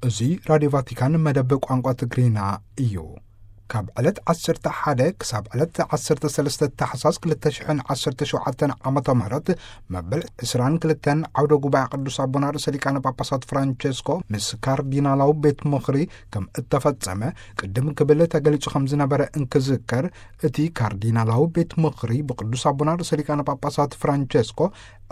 እዚ ራዲዮ ቫቲካን መደብ ቋንቋ ትግርኛ እዩ። ካብ ዕለት ዓሰርተ ሓደ ክሳብ ዕለት ዓሰርተ ሰለስተ ታሕሳስ ክልተ ሽሕን ዓሰርተ ሸውዓተን ዓመተ ምህረት መበል ዕስራን ክልተን ዓውደ ጉባኤ ቅዱስ ኣቦና ርእሰ ሊቃነ ጳጳሳት ፍራንቸስኮ ምስ ካርዲናላዊ ቤት ምኽሪ ከም እተፈጸመ ቅድም ክብል ተገሊጹ ከም ዝነበረ እንክዝከር፣ እቲ ካርዲናላዊ ቤት ምኽሪ ብቅዱስ ኣቦና ርእሰ ሊቃነ ጳጳሳት ፍራንቸስኮ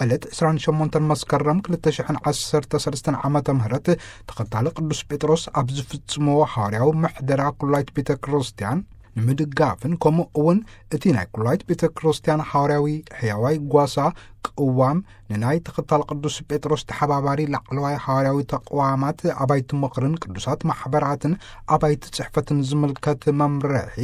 ዕለት ዕስራን ሸሞንተን መስከረም ክልተ ሽሕን ዓሰርተ ሰለስተን ዓመተ ምህረት ተኸታሊ ቅዱስ ጴጥሮስ ኣብ ዝፍጽምዎ ሃዋርያዊ ምሕደራ ኩላይት ቤተ ክርስቲያን ንምድጋፍን፣ ከምኡ እውን እቲ ናይ ኩላይት ቤተ ክርስቲያን ሃዋርያዊ ሕያዋይ ጓሳ ቅዋም ንናይ ተኸታሊ ቅዱስ ጴጥሮስ ተሓባባሪ ላዕለዋይ ሃዋርያዊ ተቕዋማት ኣባይቲ ምኽርን ቅዱሳት ማሕበራትን ኣባይቲ ጽሕፈትን ዝምልከት መምርሒ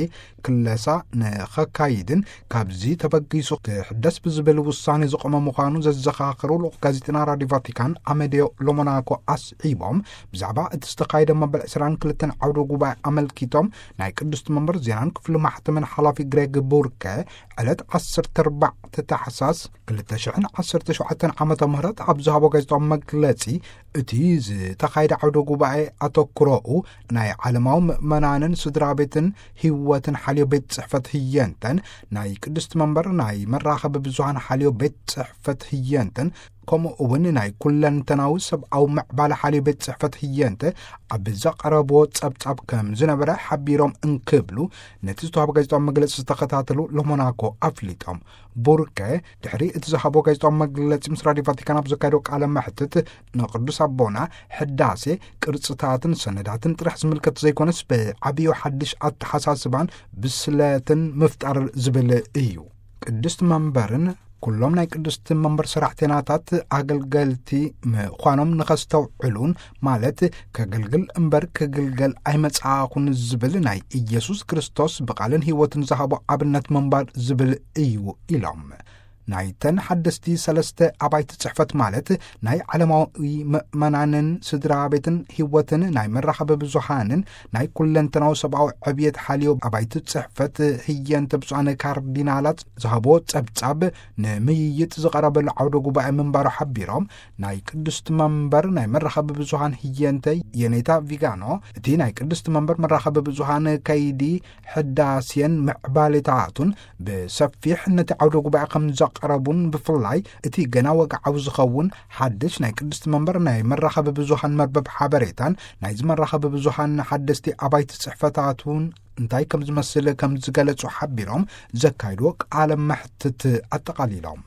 ክለሳ ንኸካይድን ካብዚ ተበጊሱ ክሕደስ ብዝብል ውሳኔ ዝቆመ ምዃኑ ዘዘኻኸሩ ልኡኽ ጋዜጠና ራዲዮ ቫቲካን ኣመዲዮ ሎሞናኮ ኣስዒቦም፣ ብዛዕባ እቲ ዝተኻየደ መበል ዕስራን ክልተን ዓውደ ጉባኤ ኣመልኪቶም ናይ ቅድስቲ መንበር ዜናን ክፍሊ ማሕተምን ሓላፊ ግሬግ ቡርከ ዕለት ዓሰርተ ኣርባዕተ ታሕሳስ ክልተ ሽሕን ዓሰርተ ሸውዓተን ዓመተ ምህረት ኣብ ዝሃቦ ጋዜጣዊ መግለጺ፣ እቲ ዝተኻየደ ዓውደ ጉባኤ ኣተኩሮኡ ናይ ዓለማዊ ምእመናንን ስድራ ቤትን ህይወትን ሓልዮ ቤት ጽሕፈት ህየንተን፣ ናይ ቅድስቲ መንበር ናይ መራኸቢ ብዙሃን ሓልዮ ቤት ጽሕፈት ህየንተን፣ ከምኡ እውን ናይ ኩለንተናዊ ሰብኣዊ ምዕባለ ሓልዮ ቤት ጽሕፈት ህየንተ ኣብ ዘቐረብዎ ጸብጻብ ከም ዝነበረ ሓቢሮም እንክብሉ ነቲ ዝተዋህበ ጋዜጣዊ መግለጺ ዝተኸታተሉ ሎሞናኮ ኣፍሊጦም። ቡርከ ድሕሪ እቲ ዝሃቦ ጋዜጣዊ መግለጺ ምስ ራዲዮ ቫቲካን ኣብ ዘካየዶ ቃለ መሕትት፣ ንቅዱስ ኣቦና ሕዳሴ ቅርጽታትን ሰነዳትን ጥራሕ ዝምልከት ዘይኮነስ ብዓብዩ ሓድሽ ኣተሓሳስባን ብስለትን ምፍጣር ዝብል እዩ። ቅድስቲ መንበርን ኩሎም ናይ ቅድስቲ መንበር ሰራሕተናታት ኣገልገልቲ ምዃኖም ንኸስተውዕሉን፣ ማለት ከገልግል እምበር ክግልገል ኣይመጽኣኹን ዝብል ናይ ኢየሱስ ክርስቶስ ብቓልን ህይወትን ዝሃቦ ኣብነት ምንባር ዝብል እዩ ኢሎም። ናይተን ሓደስቲ ሰለስተ ኣባይቲ ጽሕፈት፣ ማለት ናይ ዓለማዊ ምእመናንን ስድራ ቤትን ህይወትን ናይ መራኸቢ ብዙሃንን ናይ ኩለንተናዊ ሰብኣዊ ዕብየት ሓልዮ ኣባይቲ ጽሕፈት ህየንተ ብፁዓን ካርዲናላት ዝሃቦ ጸብጻብ ንምይይጥ ዝቐረበሉ ዓውደ ጉባኤ ምንባሩ ሓቢሮም፣ ናይ ቅድስቲ መንበር ናይ መራኸቢ ብዙሃን ህየንተ የኔታ ቪጋኖ፣ እቲ ናይ ቅድስቲ መንበር መራኸቢ ብዙሃን ከይዲ ሕዳሴን ምዕባሌታቱን ብሰፊሕ ነቲ ዓውደ ጉባኤ ከም ዘቕረቡን፣ ብፍላይ እቲ ገና ወግዓዊ ዝኸውን ሓድሽ ናይ ቅድስቲ መንበር ናይ መራኸቢ ብዙሃን መርበብ ሓበሬታን ናይዚ መራኸቢ ብዙሃን ሓደስቲ ኣባይቲ ጽሕፈታቱን እንታይ ከም ዝመስል ከም ዝገለጹ ሓቢሮም፣ ዘካይድዎ ቃለ መሕትት ኣጠቓሊሎም።